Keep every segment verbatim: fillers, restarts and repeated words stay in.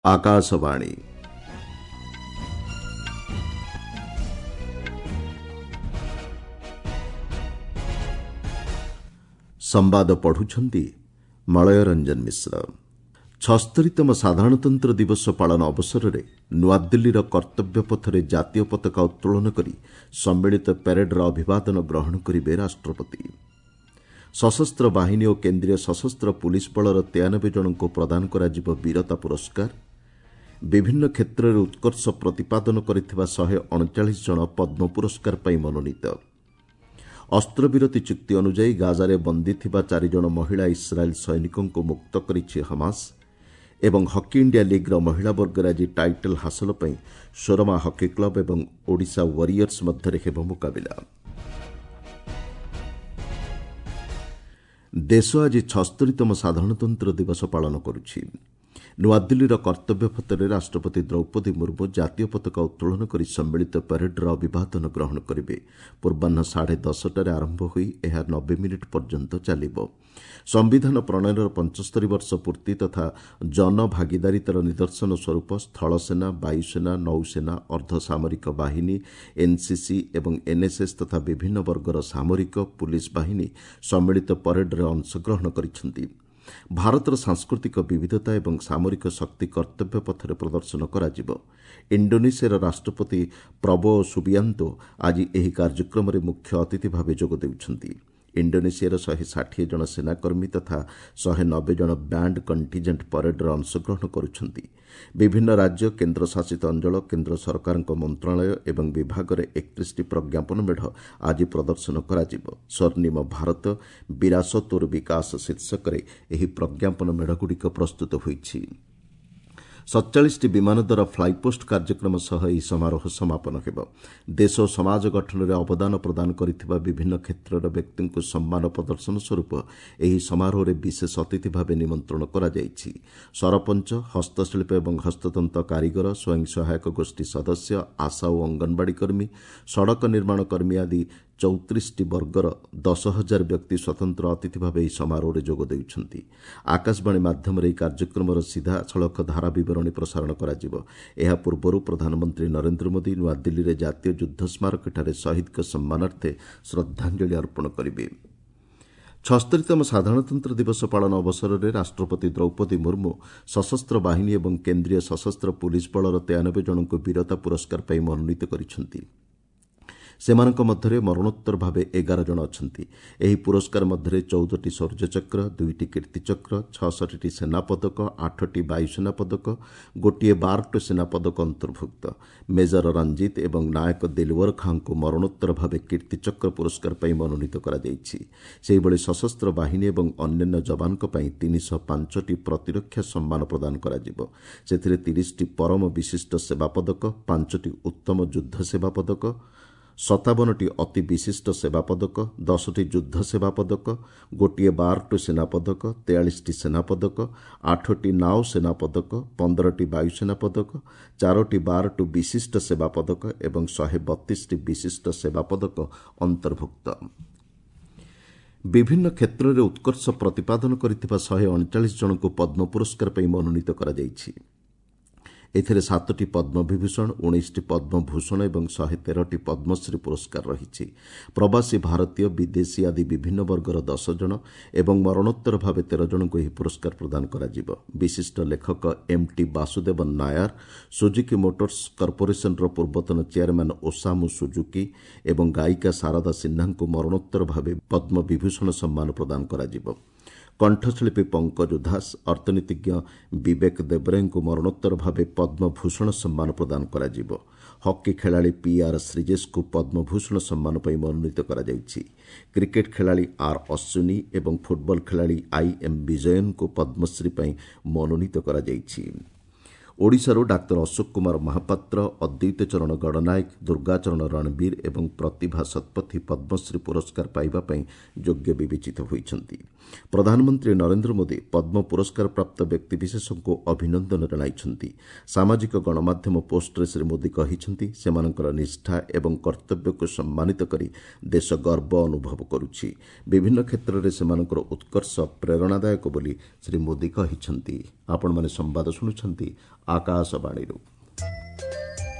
ଆକାଶବାଣୀ। ସମ୍ବାଦ ପଢୁଛନ୍ତି ମଳୟ ରଞ୍ଜନ ମିଶ୍ର। ଛସ୍ତରୀତମ ସାଧାରଣତନ୍ତ୍ର ଦିବସ ପାଳନ ଅବସରରେ ନୂଆଦିଲ୍ଲୀର କର୍ତ୍ତବ୍ୟ ପଥରେ ଜାତୀୟ ପତାକା ଉତ୍ତୋଳନ କରି ସମ୍ମିଳିତ ପ୍ୟାରେଡ୍ର ଅଭିବାଦନ ଗ୍ରହଣ କରିବେ ରାଷ୍ଟ୍ରପତି। ସଶସ୍ତ୍ର ବାହିନୀ ଓ କେନ୍ଦ୍ରୀୟ ସଶସ୍ତ୍ର ପୁଲିସ୍ ବଳର ତେୟାନବେ ଜଣଙ୍କୁ ପ୍ରଦାନ କରାଯିବ ବୀରତା ପୁରସ୍କାର। ବିଭିନ୍ନ କ୍ଷେତ୍ରରେ ଉତ୍କର୍ଷ ପ୍ରତିପାଦନ କରିଥିବା ଶହେ ଅଣଚାଳିଶ ଜଣ ପଦ୍ମ ପୁରସ୍କାର ପାଇଁ ମନୋନୀତ। ଅସ୍ତ୍ରବିରତି ଚୁକ୍ତି ଅନୁଯାୟୀ ଗାଜାରେ ବନ୍ଦୀ ଥିବା ଚାରିଜଣ ମହିଳା ଇସ୍ରାଏଲ୍ ସୈନିକଙ୍କୁ ମୁକ୍ତ କରିଛି ହମାସ। ଏବଂ ହକି ଇଣ୍ଡିଆ ଲିଗ୍ର ମହିଳା ବର୍ଗରେ ଆଜି ଟାଇଟଲ୍ ହାସଲ ପାଇଁ ସୋରମା ହକି କ୍ଲବ୍ ଏବଂ ଓଡ଼ିଶା ୱାରିୟର୍ସ ମଧ୍ୟରେ ହେବ ମୁକାବିଲା। ଦେଶ ଆଜି ଛସ୍ତରୀତମ ସାଧାରଣତନ୍ତ୍ର ଦିବସ ପାଳନ କରୁଛି। ନୂଆଦିଲ୍ଲୀର କର୍ତ୍ତବ୍ୟ ପଥରେ ରାଷ୍ଟ୍ରପତି ଦ୍ରୌପଦୀ ମୁର୍ମୁ ଜାତୀୟ ପତାକା ଉତ୍ତୋଳନ କରି ସମ୍ମିଳିତ ପ୍ୟାରେଡ୍ର ଅଭିବାଦନ ଗ୍ରହଣ କରିବେ। ପୂର୍ବାହ୍ନ ସାଢ଼େ ଦଶଟାରେ ଆରମ୍ଭ ହୋଇ ଏହା ନବେ ମିନିଟ୍ ପର୍ଯ୍ୟନ୍ତ ଚାଲିବ। ସମ୍ବିଧାନ ପ୍ରଣୟନର ପଞ୍ଚସ୍ତରୀ ବର୍ଷ ପୂର୍ତ୍ତି ତଥା ଜନଭାଗିଦାରିତାର ନିଦର୍ଶନ ସ୍ୱରୂପ ସ୍ଥଳସେନା, ବାୟୁସେନା, ନୌସେନା, ଅର୍ଦ୍ଧସାମରିକ ବାହିନୀ, ଏନ୍ସିସି ଏବଂ ଏନ୍ଏସ୍ଏସ୍ ତଥା ବିଭିନ୍ନ ବର୍ଗର ସାମରିକ ପୁଲିସ୍ ବାହିନୀ ସମ୍ମିଳିତ ପରେଡ୍ରେ ଅଂଶଗ୍ରହଣ କରିଛନ୍ତି। ଭାରତର ସାଂସ୍କୃତିକ ବିବିଧତା ଏବଂ ସାମରିକ ଶକ୍ତି କର୍ତ୍ତବ୍ୟ ପଥରେ ପ୍ରଦର୍ଶନ କରାଯିବ। ଇଣ୍ଡୋନେସିଆର ରାଷ୍ଟ୍ରପତି ପ୍ରବୋ ସୁବିଆନ୍ତୋ ଆଜି ଏହି କାର୍ଯ୍ୟକ୍ରମରେ ମୁଖ୍ୟ ଅତିଥି ଭାବେ ଯୋଗ ଦେଉଛନ୍ତି। ଇଣ୍ଡୋନେସିଆର ଶହେ ଷାଠିଏ ଜଣ ସେନାକର୍ମୀ ତଥା ଶହେ ନବେ ଜଣ ବ୍ୟାଣ୍ଡ କଣ୍ଟିଜେଣ୍ଟ ପରେଡ୍ରେ ଅଂଶଗ୍ରହଣ କରୁଛନ୍ତି। ବିଭିନ୍ନ ରାଜ୍ୟ, କେନ୍ଦ୍ରଶାସିତ ଅଞ୍ଚଳ, କେନ୍ଦ୍ର ସରକାରଙ୍କ ମନ୍ତ୍ରଣାଳୟ ଏବଂ ବିଭାଗରେ ଏକତିରିଶଟି ପ୍ରଜ୍ଞାପନ ମେଢ଼ ଆଜି ପ୍ରଦର୍ଶନ କରାଯିବ। ସ୍ୱର୍ଣ୍ଣିମ ଭାରତ ବିରାସତ ଓର ବିକାଶ ଶୀର୍ଷକରେ ଏହି ପ୍ରଜ୍ଞାପନ ମେଢ଼ଗୁଡ଼ିକ ପ୍ରସ୍ତୁତ ହୋଇଛି। ସତଚାଳିଶଟି ବିମାନ ଦ୍ୱାରା ଫ୍ଲାଇପୋଷ୍ଟ କାର୍ଯ୍ୟକ୍ରମ ସହ ଏହି ସମାରୋହ ସମାପନ ହେବ। ଦେଶ ଓ ସମାଜ ଗଠନରେ ଅବଦାନ ପ୍ରଦାନ କରିଥିବା ବିଭିନ୍ନ କ୍ଷେତ୍ରର ବ୍ୟକ୍ତିଙ୍କୁ ସମ୍ମାନ ପ୍ରଦର୍ଶନ ସ୍ୱରୂପ ଏହି ସମାରୋହରେ ବିଶେଷ ଅତିଥି ଭାବେ ନିମନ୍ତ୍ରଣ କରାଯାଇଛି। ସରପଞ୍ଚ, ହସ୍ତଶିଳ୍ପ ଏବଂ ହସ୍ତତନ୍ତ କାରିଗର, ସ୍ୱୟଂ ସହାୟକ ଗୋଷ୍ଠୀ ସଦସ୍ୟ, ଆଶା ଓ ଅଙ୍ଗନବାଡ଼ି କର୍ମୀ, ସଡ଼କ ନିର୍ମାଣ କର୍ମୀ ଆଦି ଚଉତିରିଶଟି ବର୍ଗର ଦଶ ହଜାର ବ୍ୟକ୍ତି ସ୍ୱତନ୍ତ୍ର ଅତିଥି ଭାବେ ଏହି ସମାରୋହରେ ଯୋଗ ଦେଉଛନ୍ତି। ଆକାଶବାଣୀ ମାଧ୍ୟମରେ ଏହି କାର୍ଯ୍ୟକ୍ରମର ସିଧାସଳଖ ଧାରା ବିବରଣୀ ପ୍ରସାରଣ କରାଯିବ। ଏହା ପୂର୍ବରୁ ପ୍ରଧାନମନ୍ତ୍ରୀ ନରେନ୍ଦ୍ର ମୋଦି ନୂଆଦିଲ୍ଲୀରେ ଜାତୀୟ ଯୁଦ୍ଧ ସ୍ମାରକୀଠାରେ ଶହୀଦଙ୍କ ସମ୍ମାନାର୍ଥେ ଶ୍ରଦ୍ଧାଞ୍ଜଳି ଅର୍ପଣ କରିବେ। ଛସ୍ତରୀତମ ସାଧାରଣତନ୍ତ୍ର ଦିବସ ପାଳନ ଅବସରରେ ରାଷ୍ଟ୍ରପତି ଦ୍ରୌପଦୀ ମୁର୍ମୁ ସଶସ୍ତ୍ର ବାହିନୀ ଏବଂ କେନ୍ଦ୍ରୀୟ ସଶସ୍ତ୍ର ପୁଲିସ୍ ବଳର ତେୟାନବେ ଜଣଙ୍କୁ ବୀରତା ପୁରସ୍କାର ପାଇଁ ମନୋନୀତ କରିଛନ୍ତି। ସେମାନଙ୍କ ମଧ୍ୟରେ ମରଣୋତ୍ତର ଭାବେ ଏଗାର ଜଣ ଅଛନ୍ତି। ଏହି ପୁରସ୍କାର ମଧ୍ୟରେ ଚଉଦଟି ଶୌର୍ଯ୍ୟଚକ୍ର, ଦୁଇଟି କୀର୍ତ୍ତିଚକ୍ର, ଛଅଷଠିଟି ସେନା ପଦକ, ଆଠଟି ବାୟୁସେନା ପଦକ, ଗୋଟିଏ ବାରଟି ସେନା ପଦକ ଅନ୍ତର୍ଭୁକ୍ତ। ମେଜର ରଞ୍ଜିତ ଏବଂ ନାୟକ ଦିଲୱର ଖାଁଙ୍କୁ ମରଣୋତ୍ତର ଭାବେ କୀର୍ତ୍ତିଚକ୍ର ପୁରସ୍କାର ପାଇଁ ମନୋନୀତ କରାଯାଇଛି। ସେହିଭଳି ସଶସ୍ତ୍ର ବାହିନୀ ଏବଂ ଅନ୍ୟାନ୍ୟ ଯବାନଙ୍କ ପାଇଁ ତିନିଶହ ପାଞ୍ଚଟି ପ୍ରତିରକ୍ଷା ସମ୍ମାନ ପ୍ରଦାନ କରାଯିବ। ସେଥିରେ ତିରିଶଟି ପରମ ବିଶିଷ୍ଟ ସେବା ପଦକ, ପାଞ୍ଚଟି ଉତ୍ତମ ଯୁଦ୍ଧ ସେବା ପଦକ, ସତାବନଟି ଅତି ବିଶିଷ୍ଟ ସେବା ପଦକ, ଦଶଟି ଯୁଦ୍ଧ ସେବା ପଦକ, ଗୋଟିଏ ବାରଟି ସେନା ପଦକ, ତେୟାଳିଶଟି ସେନା ପଦକ, ଆଠଟି ନାଓ ସେନା ପଦକ, ପନ୍ଦରଟି ବାୟୁସେନା ପଦକ, ଚାରୋଟି ବାରଟି ବିଶିଷ୍ଟ ସେବା ପଦକ ଏବଂ ଶହେ ବତିଶଟି ବିଶିଷ୍ଟ ସେବା ପଦକ ଅନ୍ତର୍ଭୁକ୍ତ। ବିଭିନ୍ନ କ୍ଷେତ୍ରରେ ଉତ୍କର୍ଷ ପ୍ରତିପାଦନ କରିଥିବା ଶହେ ଅଣଚାଳିଶ ଜଣଙ୍କୁ ପଦ୍ମ ପୁରସ୍କାର ପାଇଁ ମନୋନୀତ କରାଯାଇଛି। ଏଥିରେ ସାତଟି ପଦ୍ମବିଭୂଷଣ, ଉଣେଇଶଟି ପଦ୍ମଭୂଷଣ ଏବଂ ଶହେ ତେରଟି ପଦ୍ମଶ୍ରୀ ପୁରସ୍କାର ରହିଛି। ପ୍ରବାସୀ ଭାରତୀୟ, ବିଦେଶୀ ଆଦି ବିଭିନ୍ନ ବର୍ଗର ଦଶ ଜଣ ଏବଂ ମରଣୋତ୍ତର ଭାବେ ତେର ଜଣଙ୍କୁ ଏହି ପୁରସ୍କାର ପ୍ରଦାନ କରାଯିବ। ବିଶିଷ୍ଟ ଲେଖକ M T Vasudevan Nair, Suzuki Motors କର୍ପୋରେସନର ପୂର୍ବତନ ଚେୟାରମ୍ୟାନ୍ ଓସାମୁ ସୁଜୁକି ଏବଂ ଗାୟିକା ଶାରଦା ସିହ୍ନାଙ୍କୁ ମରଣୋତ୍ତର ଭାବେ ପଦ୍ମବିଭୂଷଣ ସମ୍ମାନ ପ୍ରଦାନ କରାଯିବ। କଣ୍ଠଶିଳ୍ପୀ ପଙ୍କଜ ଉଧାସ, ଅର୍ଥନୀତିଜ୍ଞ ବିବେକ ଦେବରାୟଙ୍କୁ ମରଣୋତ୍ତର ଭାବେ ପଦ୍ମଭୂଷଣ ସମ୍ମାନ ପ୍ରଦାନ କରାଯିବ। ହକି ଖେଳାଳି ପିଆର୍ ଶ୍ରୀଜେଶଙ୍କୁ ପଦ୍ମଭୂଷଣ ସମ୍ମାନ ପାଇଁ ମନୋନୀତ କରାଯାଇଛି। କ୍ରିକେଟ୍ ଖେଳାଳି ଆର୍ ଅଶ୍ୱିନୀ ଏବଂ ଫୁଟବଲ ଖେଳାଳି I M ବିଜୟନଙ୍କୁ ପଦ୍ମଶ୍ରୀ ପାଇଁ ମନୋନୀତ କରାଯାଇଛି। ଓଡ଼ିଶାରୁ ଡାକ୍ତର ଅଶୋକ କୁମାର ମହାପାତ୍ର, ଅଦ୍ୱୈତ ଚରଣ ଗଡ଼ନାୟକ, ଦୁର୍ଗାଚରଣ ରଣବୀର ଏବଂ ପ୍ରତିଭା ଶତପଥୀ ପଦ୍ମଶ୍ରୀ ପୁରସ୍କାର ପାଇବା ପାଇଁ ଯୋଗ୍ୟ ବିବେଚିତ ହୋଇଛନ୍ତି। ପ୍ରଧାନମନ୍ତ୍ରୀ ନରେନ୍ଦ୍ର ମୋଦି ପଦ୍ମ ପୁରସ୍କାର ପ୍ରାପ୍ତ ବ୍ୟକ୍ତିବିଶେଷଙ୍କୁ ଅଭିନନ୍ଦନ ଜଣାଇଛନ୍ତି। ସାମାଜିକ ଗଣମାଧ୍ୟମ ପୋଷ୍ଟରେ ଶ୍ରୀ ମୋଦି କହିଛନ୍ତି, ସେମାନଙ୍କର ନିଷ୍ଠା ଏବଂ କର୍ତ୍ତବ୍ୟକୁ ସମ୍ମାନିତ କରି ଦେଶ ଗର୍ବ ଅନୁଭବ କରୁଛି। ବିଭିନ୍ନ କ୍ଷେତ୍ରରେ ସେମାନଙ୍କର ଉତ୍କର୍ଷ ପ୍ରେରଣାଦାୟକ ବୋଲି ଶ୍ରୀ ମୋଦି କହିଛନ୍ତି। ଆପଣମାନେ ସମ୍ବାଦ ଶୁଣୁଛନ୍ତି ଆକାଶବାଣୀରୁ।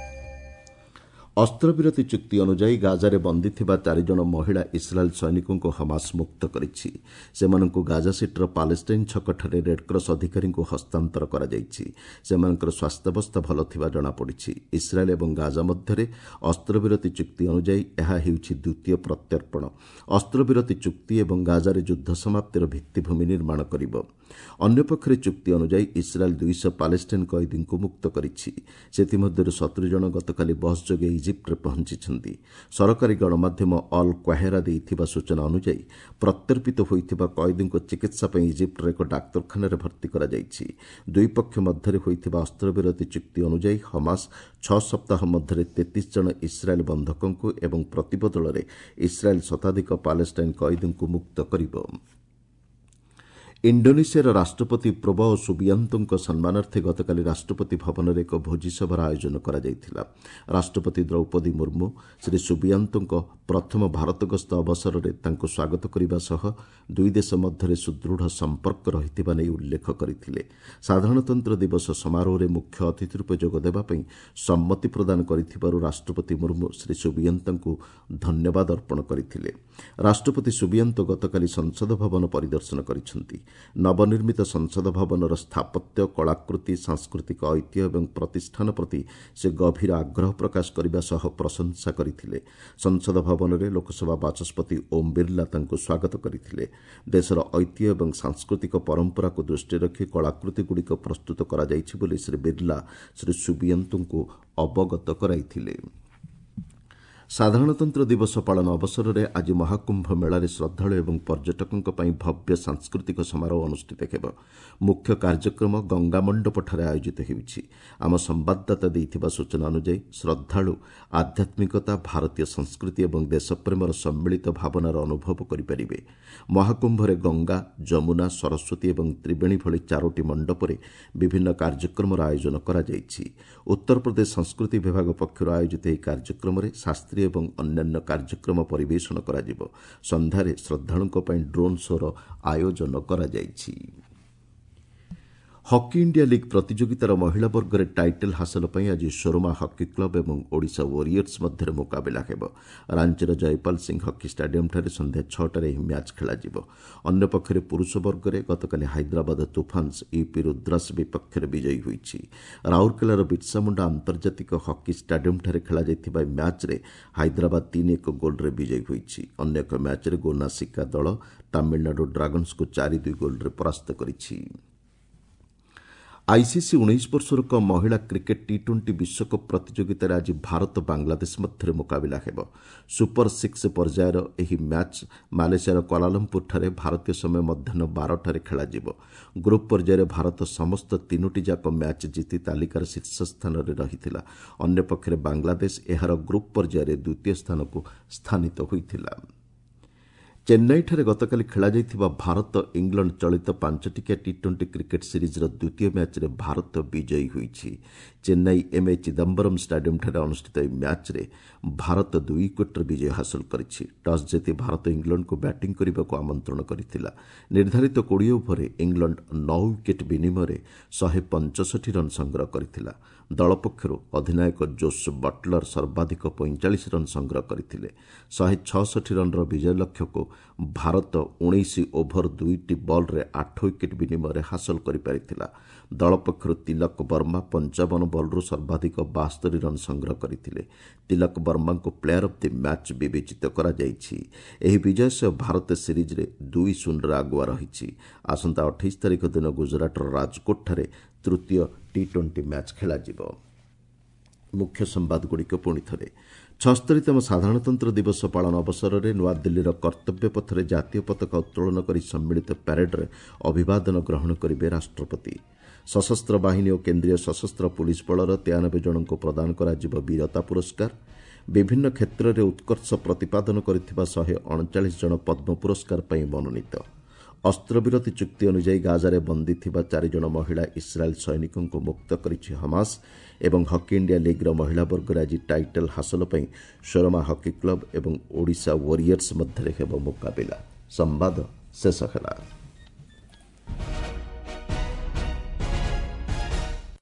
ଅସ୍ତ୍ରବିରତି ଚୁକ୍ତି ଅନୁଯାୟୀ ଗାଜାରେ ବନ୍ଦୀ ଥିବା ଚାରିଜଣ ମହିଳା ଇସ୍ରାଏଲ୍ ସୈନିକଙ୍କୁ ହମାସ ମୁକ୍ତ କରିଛି। ସେମାନଙ୍କୁ ଗାଜା ସିଟିର ପାଲେଷ୍ଟାଇନ୍ ଛକଠାରେ ରେଡ୍କ୍ରସ୍ ଅଧିକାରୀଙ୍କୁ ହସ୍ତାନ୍ତର କରାଯାଇଛି। ସେମାନଙ୍କର ସ୍ୱାସ୍ଥ୍ୟାବସ୍ଥା ଭଲ ଥିବା ଜଣାପଡ଼ିଛି। ଇସ୍ରାଏଲ୍ ଏବଂ ଗାଜା ମଧ୍ୟରେ ଅସ୍ତ୍ରବିରତି ଚୁକ୍ତି ଅନୁଯାୟୀ ଏହା ହେଉଛି ଦ୍ୱିତୀୟ ପ୍ରତ୍ୟର୍ପଣ। ଅସ୍ତ୍ରବିରତି ଚୁକ୍ତି ଏବଂ ଗାଜାରେ ଯୁଦ୍ଧ ସମାପ୍ତିର ଭିତ୍ତିଭୂମି ନିର୍ମାଣ କରିବ। ଅନ୍ୟପକ୍ଷରେ ଚୁକ୍ତି ଅନୁଯାୟୀ ଇସ୍ରାଏଲ୍ ଦୁଇଶହ ପାଲେଷ୍ଟାଇନ୍ କଏଦୀଙ୍କୁ ମୁକ୍ତ କରିଛି। ସେଥିମଧ୍ୟରୁ ସତୁରି ଜଣ ଗତକାଲି ବସ୍ ଯୋଗେ ଇଜିପ୍ଟରେ ପହଞ୍ଚିଛନ୍ତି। ସରକାରୀ ଗଣମାଧ୍ୟମ ଅଲ୍ କ୍ୱାହେରା ଦେଇଥିବା ସୂଚନା ଅନୁଯାୟୀ ପ୍ରତ୍ୟର୍ପିତ ହୋଇଥିବା କଏଦୀଙ୍କୁ ଚିକିତ୍ସା ପାଇଁ ଇଜିପ୍ଟର ଏକ ଡାକ୍ତରଖାନାରେ ଭର୍ତ୍ତି କରାଯାଇଛି। ଦୁଇ ପକ୍ଷ ମଧ୍ୟରେ ହୋଇଥିବା ଅସ୍ତ୍ରବିରତି ଚୁକ୍ତି ଅନୁଯାୟୀ ହମାସ ଛଅ ସପ୍ତାହ ମଧ୍ୟରେ ତେତିଶ ଜଣ ଇସ୍ରାଏଲ୍ ବନ୍ଧକଙ୍କୁ ଏବଂ ପ୍ରତିବଦଳରେ ଇସ୍ରାଏଲ୍ ଶତାଧିକ ପାଲେଷ୍ଟାଇନ୍ କଏଦୀଙ୍କୁ ମୁକ୍ତ କରିବ। ଇଣ୍ଡୋନେସିଆର ରାଷ୍ଟ୍ରପତି ପ୍ରବୋ ସୁବିଆନ୍ତୋଙ୍କ ସମ୍ମାନାର୍ଥେ ଗତକାଲି ରାଷ୍ଟ୍ରପତି ଭବନରେ ଏକ ଭୋଜିସଭାର ଆୟୋଜନ କରାଯାଇଥିଲା। ରାଷ୍ଟ୍ରପତି ଦ୍ରୌପଦୀ ମୁର୍ମୁ ଶ୍ରୀ ସୁବିଆନ୍ତୋଙ୍କ ପ୍ରଥମ ଭାରତ ଗସ୍ତ ଅବସରରେ ତାଙ୍କୁ ସ୍ୱାଗତ କରିବା ସହ ଦୁଇ ଦେଶ ମଧ୍ୟରେ ସୁଦୃଢ଼ ସମ୍ପର୍କ ରହିଥିବା ନେଇ ଉଲ୍ଲେଖ କରିଥିଲେ। ସାଧାରଣତନ୍ତ୍ର ଦିବସ ସମାରୋହରେ ମୁଖ୍ୟ ଅତିଥି ରୂପେ ଯୋଗଦେବା ପାଇଁ ସମ୍ମତି ପ୍ରଦାନ କରିଥିବାରୁ ରାଷ୍ଟ୍ରପତି ମୁର୍ମୁ ଶ୍ରୀ ସୁବିଆନ୍ତୋଙ୍କୁ ଧନ୍ୟବାଦ ଅର୍ପଣ କରିଥିଲେ। ରାଷ୍ଟ୍ରପତି ସୁବିଆନ୍ତୋ ଗତକାଲି ସଂସଦ ଭବନ ପରିଦର୍ଶନ କରିଛନ୍ତି। ନବନିର୍ମିତ ସଂସଦ ଭବନର ସ୍ଥାପତ୍ୟ, କଳାକୃତି, ସାଂସ୍କୃତିକ ଐତିହ୍ୟ ଏବଂ ପ୍ରତିଷ୍ଠାନ ପ୍ରତି ସେ ଗଭୀର ଆଗ୍ରହ ପ୍ରକାଶ କରିବା ସହ ପ୍ରଶଂସା କରିଥିଲେ। ସଂସଦ ଭବନରେ ଲୋକସଭା ବାଚସ୍ପତି ଓମ୍ ବିର୍ଲା ତାଙ୍କୁ ସ୍ୱାଗତ କରିଥିଲେ। ଦେଶର ଐତିହ୍ୟ ଏବଂ ସାଂସ୍କୃତିକ ପରମ୍ପରାକୁ ଦୃଷ୍ଟିରେ ରଖି କଳାକୃତିଗୁଡ଼ିକ ପ୍ରସ୍ତୁତ କରାଯାଇଛି ବୋଲି ଶ୍ରୀ ବିର୍ଲା ଶ୍ରୀ ସୁବିଆନ୍ତୋଙ୍କୁ ଅବଗତ କରାଇଥିଲେ। ସାଧାରଣତନ୍ତ୍ର ଦିବସ ପାଳନ ଅବସରରେ ଆଜି ମହାକୁମ୍ଭ ମେଳାରେ ଶ୍ରଦ୍ଧାଳୁ ଏବଂ ପର୍ଯ୍ୟଟକଙ୍କ ପାଇଁ ଭବ୍ୟ ସାଂସ୍କୃତିକ ସମାରୋହ ଅନୁଷ୍ଠିତ ହେବ। ମୁଖ୍ୟ କାର୍ଯ୍ୟକ୍ରମ ଗଙ୍ଗାମଣ୍ଡପଠାରେ ଆୟୋଜିତ ହେଉଛି। ଆମ ସମ୍ବାଦଦାତା ଦେଇଥିବା ସୂଚନା ଅନୁଯାୟୀ ଶ୍ରଦ୍ଧାଳୁ ଆଧ୍ୟାତ୍ମିକତା, ଭାରତୀୟ ସଂସ୍କୃତି ଏବଂ ଦେଶପ୍ରେମର ସମ୍ମିଳିତ ଭାବନାର ଅନୁଭବ କରିପାରିବେ। ମହାକୁମ୍ଭରେ ଗଙ୍ଗା, ଯମୁନା, ସରସ୍ୱତୀ ଏବଂ ତ୍ରିବେଣୀ ଭଳି ଚାରୋଟି ମଣ୍ଡପରେ ବିଭିନ୍ନ କାର୍ଯ୍ୟକ୍ରମର ଆୟୋଜନ କରାଯାଇଛି। ଉତ୍ତରପ୍ରଦେଶ ସଂସ୍କୃତି ବିଭାଗ ପକ୍ଷରୁ ଆୟୋଜିତ ଏହି କାର୍ଯ୍ୟକ୍ରମରେ ଶାସ୍ତ୍ରୀୟ ଏବଂ ଅନ୍ୟାନ୍ୟ କାର୍ଯ୍ୟକ୍ରମ ପରିବେଷଣ କରାଯିବ। ସନ୍ଧ୍ୟାରେ ଶ୍ରଦ୍ଧାଳୁଙ୍କ ପାଇଁ ଡ୍ରୋନ୍ ଶୋ'ର ଆୟୋଜନ କରାଯାଇଛି। ହକି ଇଣ୍ଡିଆ ଲିଗ୍ ପ୍ରତିଯୋଗିତାର ମହିଳା ବର୍ଗରେ ଟାଇଟଲ୍ ହାସଲ ପାଇଁ ଆଜି ସୋରମା ହକି କ୍ଲବ୍ ଏବଂ ଓଡ଼ିଶା ୱାରିୟର୍ସ ମଧ୍ୟରେ ମୁକାବିଲା ହେବ। ରାଞ୍ଚିର ଜୟପାଲ ସିଂ ହକି ଷ୍ଟାଡିୟମ୍ଠାରେ ସନ୍ଧ୍ୟା ଛଅଟାରେ ଏହି ମ୍ୟାଚ୍ ଖେଳାଯିବ। ଅନ୍ୟପକ୍ଷରେ ପୁରୁଷ ବର୍ଗରେ ଗତକାଲି ହାଇଦ୍ରାବାଦ ତୁଫାନ୍ସ ୟୁପି ରୁଦ୍ରାସ ବିପକ୍ଷରେ ବିଜୟୀ ହୋଇଛି। ରାଉରକେଲାର ବିର୍ସାମୁଣ୍ଡା ଆନ୍ତର୍ଜାତିକ ହକି ଷ୍ଟାଡିୟମ୍ଠାରେ ଖେଳାଯାଇଥିବା ଏହି ମ୍ୟାଚ୍ରେ ହାଇଦ୍ରାବାଦ ତିନି ଏକ ଗୋଲ୍ରେ ବିଜୟୀ ହୋଇଛି। ଅନ୍ୟ ଏକ ମ୍ୟାଚ୍ରେ ଗୋନାସିକା ଦଳ ତାମିଲନାଡୁ ଡ୍ରାଗନ୍ସକୁ ଚାରି ଦୁଇ ଗୋଲ୍ରେ ପରାସ୍ତ କରିଛି। ଆଇସିସି ଉଣେଇଶ ବର୍ଷରୁ କମ୍ ମହିଳା କ୍ରିକେଟ୍ ଟି ଟ୍ୱେଣ୍ଟି ବିଶ୍ୱକପ୍ ପ୍ରତିଯୋଗିତାରେ ଆଜି ଭାରତ ବାଂଲାଦେଶ ମଧ୍ୟରେ ମୁକାବିଲା ହେବ। ସୁପର ସିକ୍ସ ପର୍ଯ୍ୟାୟର ଏହି ମ୍ୟାଚ୍ ମାଲେସିଆର କ୍ୱାଲାଲମ୍ପୁରଠାରେ ଭାରତୀୟ ସମୟ ମଧ୍ୟାହ୍ନ ବାରଟାରେ ଖେଳାଯିବ। ଗ୍ରୁପ୍ ପର୍ଯ୍ୟାୟରେ ଭାରତ ସମସ୍ତ ତିନୋଟି ଯାକ ମ୍ୟାଚ୍ ଜିତି ତାଲିକାର ଶୀର୍ଷ ସ୍ଥାନରେ ରହିଥିଲା। ଅନ୍ୟପକ୍ଷରେ ବାଂଲାଦେଶ ଏହାର ଗ୍ରୁପ୍ ପର୍ଯ୍ୟାୟରେ ଦ୍ୱିତୀୟ ସ୍ଥାନକୁ ସ୍ଥାନିତ ହୋଇଥିଲା। ଚେନ୍ନାଇଠାରେ ଗତକାଲି ଖେଳାଯାଇଥିବା ଭାରତ ଇଂଲଣ୍ଡ ଚଳିତ ପାଞ୍ଚଟିକିଆ ଟି ଟ୍ୱେଣ୍ଟି କ୍ରିକେଟ୍ ସିରିଜ୍ର ଦ୍ୱିତୀୟ ମ୍ୟାଚ୍ରେ ଭାରତ ବିଜୟୀ ହୋଇଛି। ଚେନ୍ନାଇ ଏମ୍ ଏ ଚିଦାମ୍ବରମ୍ ଷ୍ଟାଡିୟମ୍ଠାରେ ଅନୁଷ୍ଠିତ ଏହି ମ୍ୟାଚ୍ରେ ଭାରତ ଦୁଇ ୱିକେଟ୍ରେ ବିଜୟ ହାସଲ କରିଛି। ଟସ୍ ଜିତି ଭାରତ ଇଂଲଣ୍ଡକୁ ବ୍ୟାଟିଂ କରିବାକୁ ଆମନ୍ତ୍ରଣ କରିଥିଲା। ନିର୍ଦ୍ଧାରିତ କୋଡ଼ିଏ ଓଭରରେ ଇଂଲଣ୍ଡ ନଅ ୱିକେଟ୍ ବିନିମୟରେ ଶହେ ପଞ୍ଚଷଠି ରନ୍ ସଂଗ୍ରହ କରିଥିଲା। ଦଳ ପକ୍ଷରୁ ଅଧିନାୟକ ଜୋସ୍ ବଟଲର ସର୍ବାଧିକ ପଇଁଚାଳିଶ ରନ୍ ସଂଗ୍ରହ କରିଥିଲେ। ଶହେ ଛଅଷଠି ରନ୍ର ବିଜୟ ଲକ୍ଷ୍ୟକୁ ଭାରତ ଉଣେଇଶ ଓଭର ଦୁଇଟି ବଲ୍ରେ ଆଠ ୱିକେଟ୍ ବିନିମୟରେ ହାସଲ କରିପାରିଥିଲା। ଦଳ ପକ୍ଷରୁ ତିଲକ ବର୍ମା ପଞ୍ଚାବନ ବଲ୍ରୁ ସର୍ବାଧିକ ବାସ୍ତରି ରନ୍ ସଂଗ୍ରହ କରିଥିଲେ। ତିଲକ ବର୍ମାଙ୍କୁ ପ୍ଲେୟାର ଅଫ୍ the match ବିବେଚିତ କରାଯାଇଛି। ଏହି ବିଜୟ ସହ ଭାରତ ସିରିଜ୍ରେ ଦୁଇ ଶୂନରେ ଆଗୁଆ ରହିଛି। ଆସନ୍ତା ଅଠେଇଶ ତାରିଖ ଦିନ ଗୁଜରାଟର ରାଜକୋଟଠାରେ ତୃତୀୟ ଟି ଟ୍ୱେଣ୍ଟି ମ୍ୟାଚ୍ ଖେଳାଯିବ। ମୁଖ୍ୟ ସମ୍ବାଦଗୁଡ଼ିକ ପୁଣି ଥରେ। ଛସ୍ତରୀତମ ସାଧାରଣତନ୍ତ୍ର ଦିବସ ପାଳନ ଅବସରରେ ନୂଆଦିଲ୍ଲୀର କର୍ତ୍ତବ୍ୟ ପଥରେ ଜାତୀୟ ପତାକା ଉତ୍ତୋଳନ କରି ସମ୍ମିଳିତ ପ୍ୟାରେଡ୍ରେ ଅଭିବାଦନ ଗ୍ରହଣ କରିବେ ରାଷ୍ଟ୍ରପତି। ସଶସ୍ତ୍ର ବାହିନୀ ଓ କେନ୍ଦ୍ରୀୟ ସଶସ୍ତ୍ର ପୁଲିସ ବଳର ତେୟାନବେ ଜଣଙ୍କୁ ପ୍ରଦାନ କରାଯିବ ବୀରତା ପୁରସ୍କାର। ବିଭିନ୍ନ କ୍ଷେତ୍ରରେ ଉତ୍କର୍ଷ ପ୍ରତିପାଦନ କରିଥିବା ଶହେ ଅଣଚାଳିଶ ଜଣ ପଦ୍ମ ପୁରସ୍କାର ପାଇଁ ମନୋନୀତ। ଅସ୍ତ୍ରବିରତି ଚୁକ୍ତି ଅନୁଯାୟୀ ଗାଜାରେ ବନ୍ଦୀ ଥିବା ଚାରିଜଣ ମହିଳା ଇସ୍ରାଏଲ୍ ସୈନିକଙ୍କୁ ମୁକ୍ତ କରିଛି ହମାସ। ଏବଂ ହକି ଇଣ୍ଡିଆ ଲିଗ୍ର ମହିଳା ବର୍ଗରେ ଆଜି ଟାଇଟଲ୍ ହାସଲ ପାଇଁ ସୋରମା ହକି କ୍ଲବ୍ ଏବଂ ଓଡ଼ିଶା ୱାରିୟର୍ସ ମଧ୍ୟରେ ହେବ ମୁକାବିଲା। ସମ୍ବାଦ ଶେଷ ହେଲା।